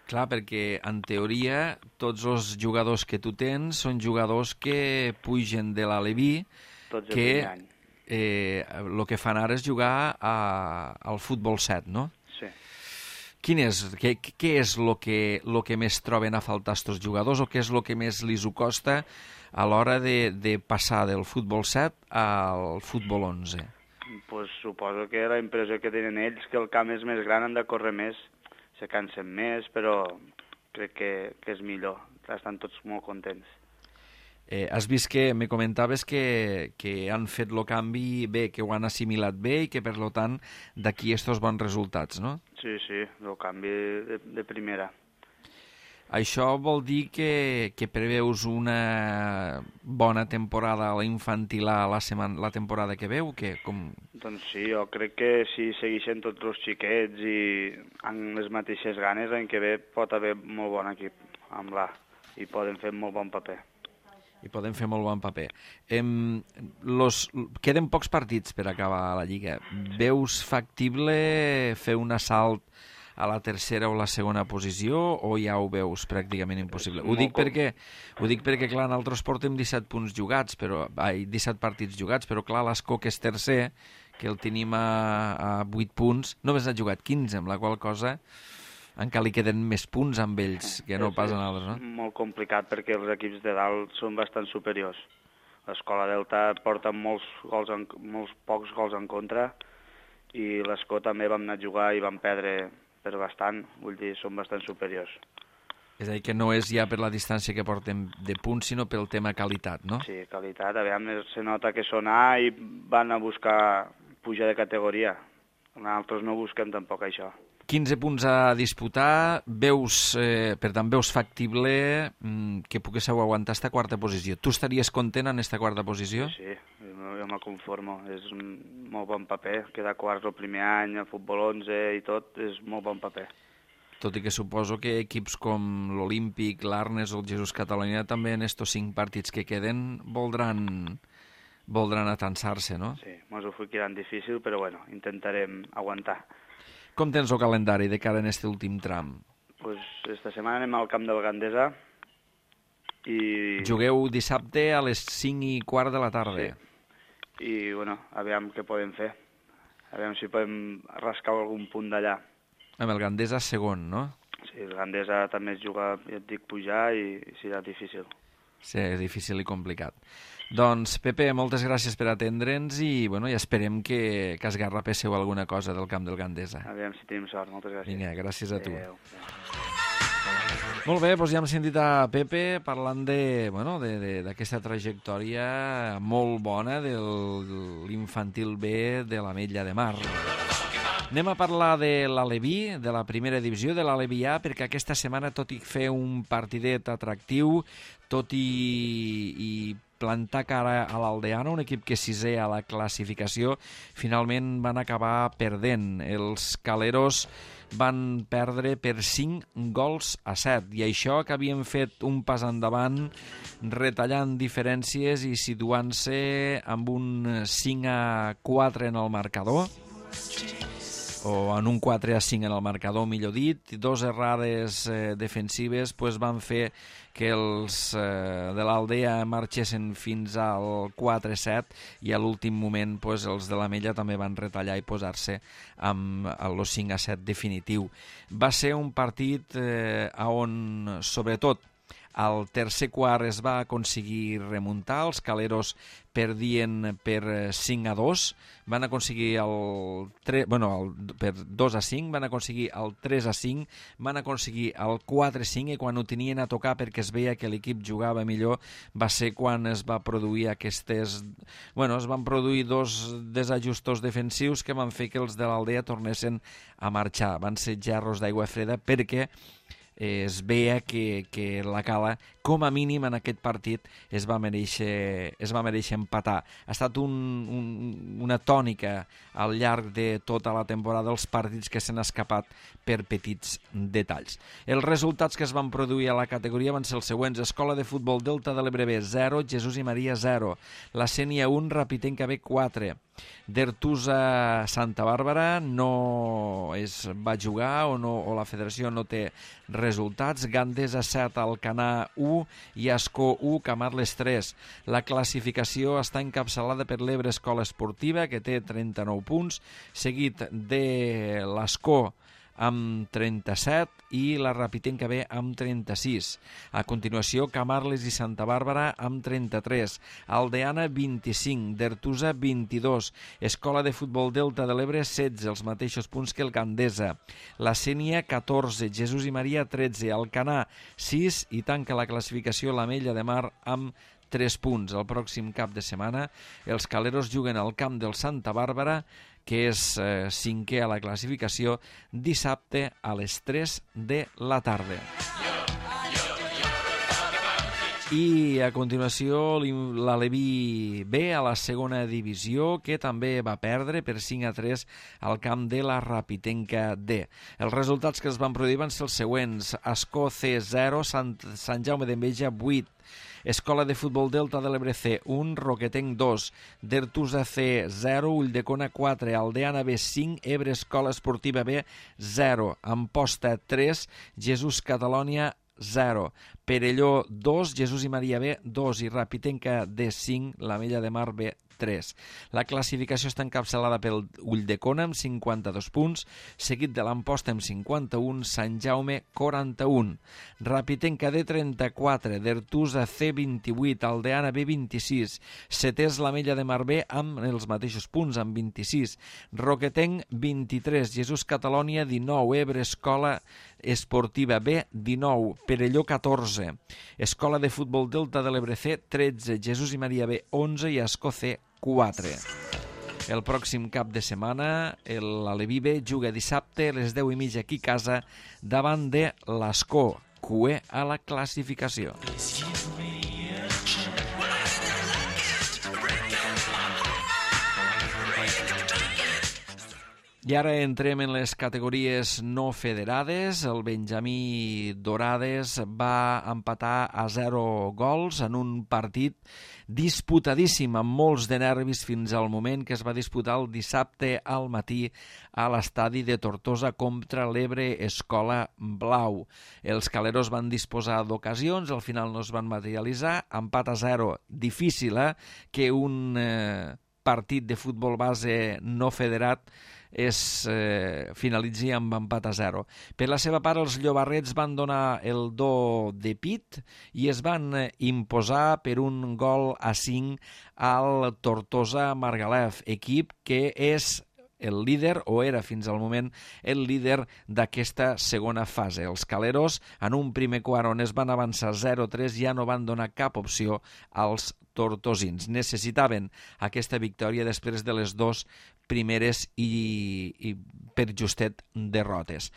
Clar, perquè, en teoria, tots els jugadors que tu tens són jugadors que pugen de l'Aleví, tots el primer any. El que fan ara és jugar al futbol 7, no? Sí. Què és el que més troben a faltar estos jugadors o què és el que més li costa a l'hora de passar del futbol 7 al futbol 11? Pues suposo que la impressió que tenen ells que el camp és més gran, han de córrer més, se cansen més, però crec que és millor. Estan tots molt contents. Has vist que me comentaves que han fet el canvi bé, que ho han assimilat bé i que, per tant, d'aquí estos bons resultats, no? Sí, el canvi de primera. Això vol dir que preveus una bona temporada a la infantil A la temporada que veu? Doncs sí, jo crec que si segueixen tots els xiquets i amb les mateixes ganes, l'any que ve pot haver molt bon equip amb l'A i poden fer molt bon paper. Queden pocs partits per acabar la Lliga. Veus factible fer un assalt a la tercera o la segona posició o ja ho veus pràcticament impossible? Ho dic perquè, clar, nosaltres portem 17 punts jugats, 17 partits jugats, però clar, l'Ascó, que és tercer, que el tenim a 8 punts, només ha jugat 15, amb la qual cosa encara li queden més punts amb ells que no pas en altres, no? És molt complicat perquè els equips de dalt són bastant superiors. L'Escola Delta porta molts pocs gols en contra i l'Escó també vam anar a jugar i vam perdre per bastant, vull dir, són bastant superiors. És a dir, que no és ja per la distància que portem de punts, sinó pel tema qualitat, no? Sí, qualitat. Aviam, se nota que són A i van a buscar pujar de categoria. Nosaltres no busquem tampoc això. 15 punts a disputar, per tant veus factible que poguéssiu aguantar esta quarta posició. Tu estaries content en esta quarta posició? Sí, jo me conformo. És un molt bon paper. Quedar quarts el primer any, el futbol 11 i tot, és molt bon paper. Tot i que suposo que equips com l'Olímpic, l'Arnes o el Jesús Catalunya també en estos 5 partits que queden voldran atansar-se, no? Sí, ens ho ficaran difícil, però bueno, intentarem aguantar. Com tens el calendari de cara en aquest últim tram? Pues esta setmana anem al camp del Gandesa i... Jugueu dissabte a les 5:15 de la tarda. Sí. I, bueno, aviam què podem fer. Aviam si podem rascar algun punt d'allà. Amb el Gandesa segon, no? Sí, el Gandesa també es juga, ja et dic, pujar i serà difícil. Sí, és difícil i complicat. Doncs, Pepe, moltes gràcies per atendre'ns i, bueno, ja esperem que esgarrapéssiu alguna cosa del camp del Gandesa. Aviam si tenim sort, moltes gràcies. Vinga, gràcies a tu. Adéu. Molt bé, doncs ja hem sentit a Pepe parlant d'aquesta trajectòria molt bona de l'infantil B de l'Ametlla de Mar. Anem a parlar de l'Aleví, de la primera divisió, de l'Aleví A, perquè aquesta setmana, tot i fer un partidet atractiu, tot i plantar cara a l'Aldeana, un equip que sisè a la classificació, finalment van acabar perdent. Els caleros van perdre per 5-7, i això que havien fet un pas endavant retallant diferències i situant-se amb un 5-4 en el marcador, o en un 4-5 en el marcador, millor dit. Dos errades defensives van fer que els de l'Aldea marxessin fins al 4-7 i a l'últim moment els de l'Ametlla també van retallar i posar-se amb el 5-7 definitiu. Va ser un partit on, sobretot, al tercer quart es va aconseguir remuntar, els caleros perdien per 5-2, van aconseguir per 2-5, van aconseguir el 3-5, van aconseguir el 4-5, i quan ho tenien a tocar perquè es veia que l'equip jugava millor va ser quan es va produir es van produir dos desajustos defensius que van fer que els de l'Aldea tornessin a marxar. Van ser gerros d'aigua freda perquè es veia que la Cala, com a mínim en aquest partit, es va mereixer empatar. Ha estat una tònica al llarg de tota la temporada, els partits que s'han escapat per petits detalls. Els resultats que es van produir a la categoria van ser els següents: Escola de Futbol Delta de l'Ebre B 0, Jesús i Maria 0, la Sénia 1, Rapitenca B 4, d'Ertusa Santa Bàrbara no es va jugar o la federació no té resultats, Gandesa 7, Alcanar 1 i Ascó 1, Camarles 3. La classificació està encapçalada per l'Ebre Escola Esportiva, que té 39 punts, seguit de l'Ascó amb 37 i la Rapitenca B amb 36. A continuació, Camarles i Santa Bàrbara amb 33, Aldeana 25, d'Ertusa 22, Escola de Futbol Delta de l'Ebre 16, els mateixos punts que el Gandesa, la Sénia 14, Jesús i Maria 13, Alcanar 6 i tanca la classificació l'Ametlla de Mar amb 3 punts. El pròxim cap de setmana els caleros juguen al camp del Santa Bàrbara, que és cinquè a la classificació, dissabte a les 3 de la tarda. I a continuació l'Aleví B a la segona divisió, que també va perdre per 5-3 al camp de la Rapitenca D. Els resultats que es van produir van ser els següents: Ascó C 0, Sant Jaume d'Enveja 8, Escola de Futbol Delta de l'Ebre C 1, Roquetenc 2, d'Ertusa C 0, Ulldecona 4, Aldeana B 5, Ebre Escola Esportiva B 0, Amposta 3, Jesús Catalònia 0, Perelló 2, Jesús i Maria B 2 i Rapitenca D 5, l'Ametlla de Mar B 3. La classificació està encapçalada pel Ulldecona amb 52 punts, seguit de l'Amposta amb 51, Sant Jaume 41, Rapitenca D 34, d'Ertusa C 28, Aldeana B 26, setè és l'Ametlla de Mar B amb els mateixos punts, amb 26, Roquetenc 23, Jesús Catalònia 19, Ebre Escola Esportiva B 19, Perelló 14, Escola de Futbol Delta de l'Ebre C 13, Jesús i Maria B 11 i Ascó C 4. El pròxim cap de setmana l'Aleví B juga dissabte a les 10:30 aquí a casa davant de l'Ascó, cué a la classificació. I ara entrem en les categories no federades. El Benjamí Dorades va empatar a 0 gols en un partit disputadíssim, amb molts de nervis fins al moment que es va disputar el dissabte al matí a l'estadi de Tortosa contra l'Ebre Escola Blau. Els caleros van disposar d'ocasions, al final no es van materialitzar, empat a 0, difícil, que un partit de futbol base no federat finalitzi amb empat a 0. Per la seva part, els llobarrets van donar el do de pit i es van imposar per 1-5 al Tortosa Margalef, equip que és el líder, o era fins al moment el líder d'aquesta segona fase. Els caleros, en un primer quart on es van avançar 0-3, ja no van donar cap opció als tortosins. Necessitaven aquesta victòria després de les dues primeres i per justet derrotes.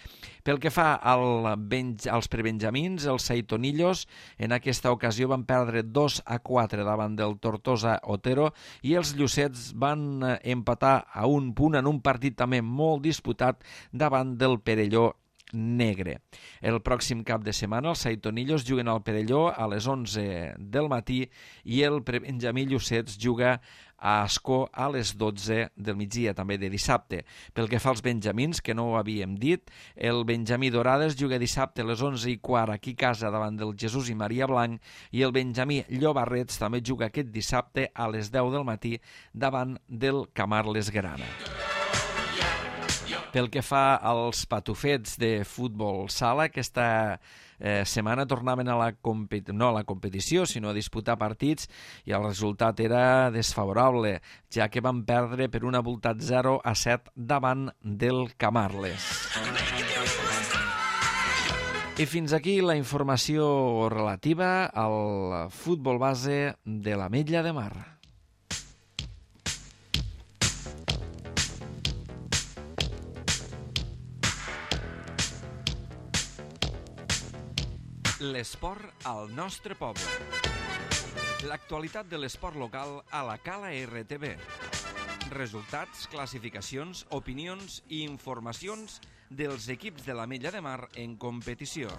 Pel que fa als prebenjamins, els Saitonillos en aquesta ocasió van perdre 2-4 davant del Tortosa Otero i els Llucets van empatar a un punt en un partit també molt disputat davant del Perelló Negre. El pròxim cap de setmana els Saitonillos juguen al Perelló a les 11 del matí i el prebenjamí Llucets juga a Ascó a les 12 del migdia, també de dissabte. Pel que fa als benjamins, que no ho havíem dit, el benjamí Dorades juga dissabte a les 11:15 aquí a casa davant del Jesús i Maria Blanc i el benjamí Llobarrets també juga aquest dissabte a les 10 del matí davant del Camarles Grana. Pel que fa als patufets de futbol sala, aquesta setmana tornaven a la competició, sinó a disputar partits, i el resultat era desfavorable, ja que van perdre per un abultat 0-7 davant del Camarles. I fins aquí la informació relativa al futbol base de l'Ametlla de Mar. L'esport al nostre poble. L'actualitat de l'esport local a la Cala RTV. Resultats, classificacions, opinions i informacions dels equips de l'Ametlla de Mar en competició.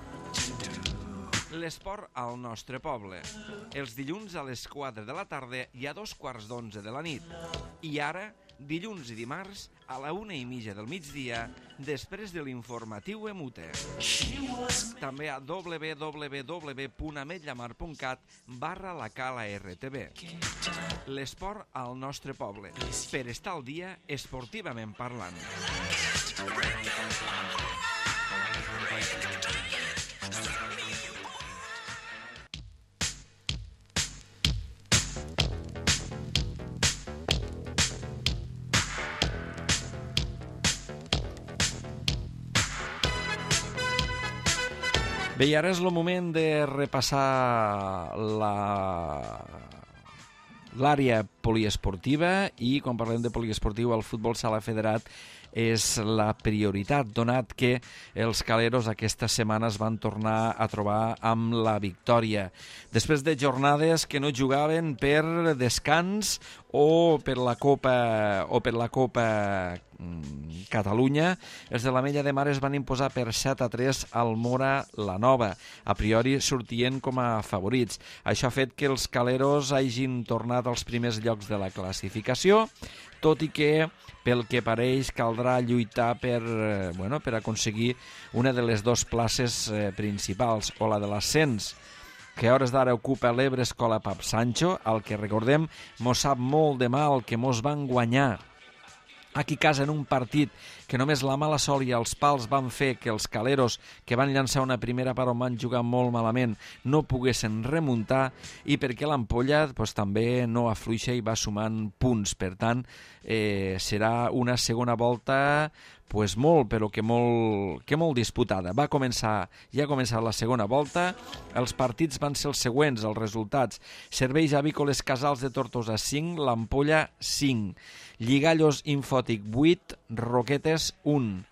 L'esport al nostre poble. Els dilluns a les 4 de la tarda i a 2:15 de la nit. I ara, dilluns i dimarts a la 1:30 del migdia, després de l'informatiu Emute. També a www.ametllamar.cat/la Cala RTV. L'esport al nostre poble, per estar al dia esportivament parlant. Bé, i ara és el moment de repassar l'àrea poliesportiva, i quan parlem de poliesportiu el futbol sala federat és la prioritat, donat que els caleros aquesta setmana es van tornar a trobar amb la victòria. Després de jornades que no jugaven per descans o per la Copa Catalunya, els de l'Ametlla de Mar es van imposar per 7-3 al Mora la Nova. A priori sortien com a favorits. Això ha fet que els caleros hagin tornat als primers llocs de la classificació, tot i que, pel que pareix, caldrà lluitar per aconseguir una de les dues places principals, o la de l'ascens, que a hores d'ara ocupa l'Ebre Escola Pap Sancho, el que, recordem, mos sap molt de mal que mos van guanyar aquí a casa en un partit que només la mala sol i els pals van fer que els caleros, que van llançar una primera part on van jugar molt malament, no poguessin remuntar, i perquè l'Ampolla també no afluixa i va sumant punts. Per tant, serà una segona volta molt disputada. Ja ha començat la segona volta. Els partits van ser els següents, els resultats: Serveis Avícoles Casals de Tortosa 5, l'Ampolla 5, Lligallos Infòtic 8, Roquetes 1.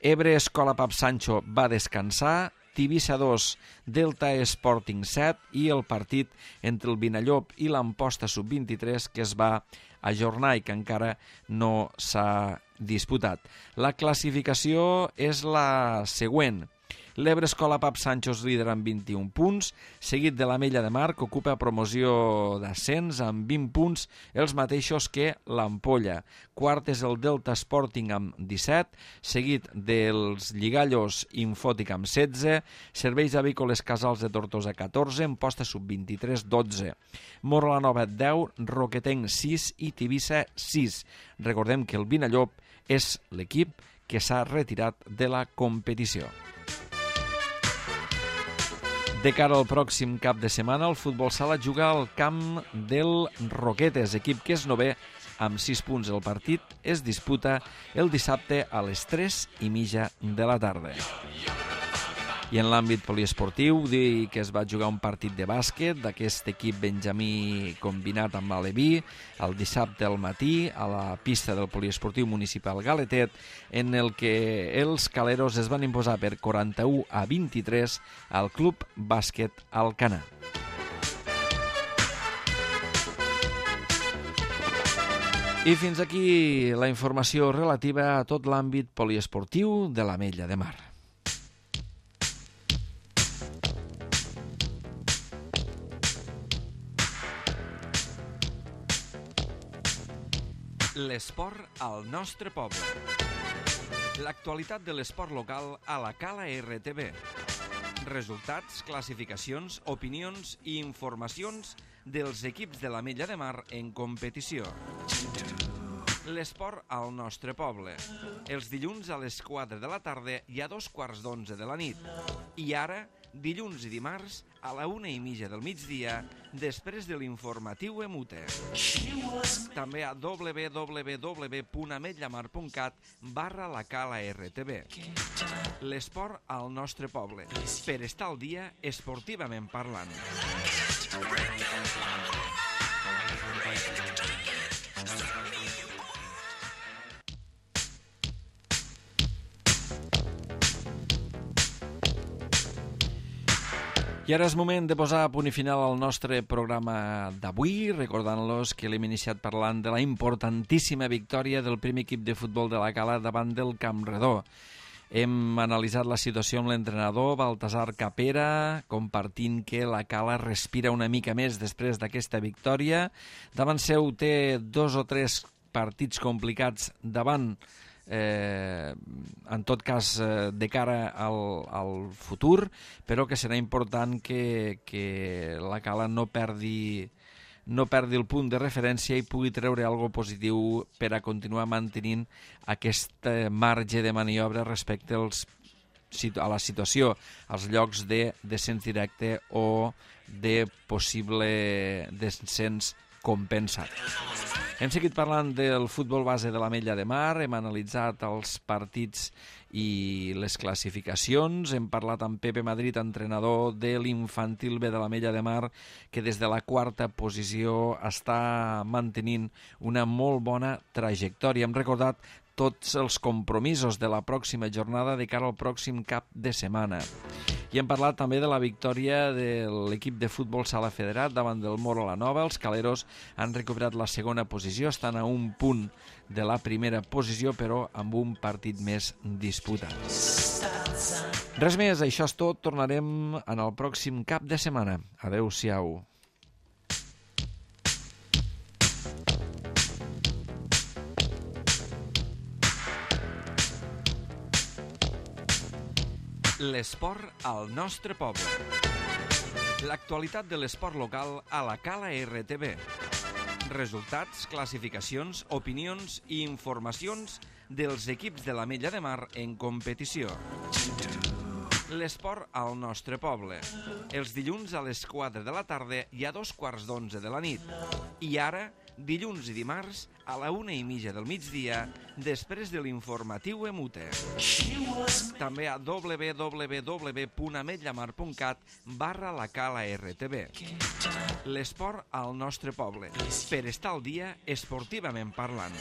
Ebre Escola Pap Sancho va descansar, Tivissa 2, Delta Sporting 7, i el partit entre el Vinallop i l'Amposta Sub-23 que es va ajornar i que encara no s'ha disputat. La classificació és la següent. L'Ebre Escola Pap Sancho és líder amb 21 punts, seguit de l'Ametlla de Mar, que ocupa promoció d'ascens amb 20 punts, els mateixos que l'Ampolla. Quart és el Delta Sporting amb 17, seguit dels Lligallos Infòtic amb 16, Serveis Avícoles Casals de Tortosa 14, Amposta Sub-23 12, Mora la Nova 10, Roquetenc 6 i Tivissa 6. Recordem que el Vinallop és l'equip que s'ha retirat de la competició. De cara al pròxim cap de setmana, el futbol sala juga al camp del Roquetes, equip que és novè amb 6 punts. El partit es disputa el dissabte a les 3:30 de la tarda. I en l'àmbit poliesportiu, dir que es va jugar un partit de bàsquet d'aquest equip benjamí combinat amb l'Aleví el dissabte al matí a la pista del poliesportiu municipal Galetet, en el que els caleros es van imposar per 41-23 al Club Bàsquet Alcanar. I fins aquí la informació relativa a tot l'àmbit poliesportiu de l'Ametlla de Mar. L'esport al nostre poble. L'actualitat de l'esport local a la Cala RTV. Resultats, classificacions, opinions i informacions dels equips de l'Ametlla de Mar en competició. L'esport al nostre poble. Els dilluns a les 4 de la tarda i a 2:15 de la nit. I ara, dilluns i dimarts, a la 1:30 del migdia, després de l'informatiu EMUTE. També a www.ametllamar.cat/la Cala RTV. L'esport al nostre poble, per estar al dia esportivament parlant. I ara és moment de posar a punt i final al nostre programa d'avui, recordant-los que l'hem iniciat parlant de la importantíssima victòria del primer equip de futbol de la Cala davant del Campredó. Hem analitzat la situació amb l'entrenador Baltasar Capera, compartint que la Cala respira una mica més després d'aquesta victòria. Davant seu té 2 o 3 partits complicats davant, en tot cas de cara al futur, però que serà important que la Cala no perdi el punt de referència i pugui treure alguna cosa positiu per a continuar mantenint aquest marge de maniobra respecte a la situació, als llocs de descens directe o de possible descens compensat. Hem seguit parlant del futbol base de l'Ametlla de Mar, hem analitzat els partits i les classificacions, hem parlat amb Pepe Madrid, entrenador de l'infantil B de l'Ametlla de Mar, que des de la 4a posició està mantenint una molt bona trajectòria. Hem recordat tots els compromisos de la pròxima jornada de cara al pròxim cap de setmana. I hem parlat també de la victòria de l'equip de futbol Sala Federat davant del Moro la Nova. Els caleros han recuperat la segona posició, estan a un punt de la primera posició, però amb un partit més disputat. Res més, això és tot. Tornarem en el pròxim cap de setmana. Adéu-siau. L'esport al nostre poble. L'actualitat de l'esport local a la Cala RTV. Resultats, classificacions, opinions i informacions dels equips de l'Ametlla de Mar en competició. L'esport al nostre poble. Els dilluns a les 4 de la tarda i a 2:15 de la nit. I ara, dilluns i dimarts, a la 1:30 del migdia, després de l'informatiu EMUTE. També a www.ametllamar.cat/la Cala RTV. L'esport al nostre poble, per estar al dia esportivament parlant.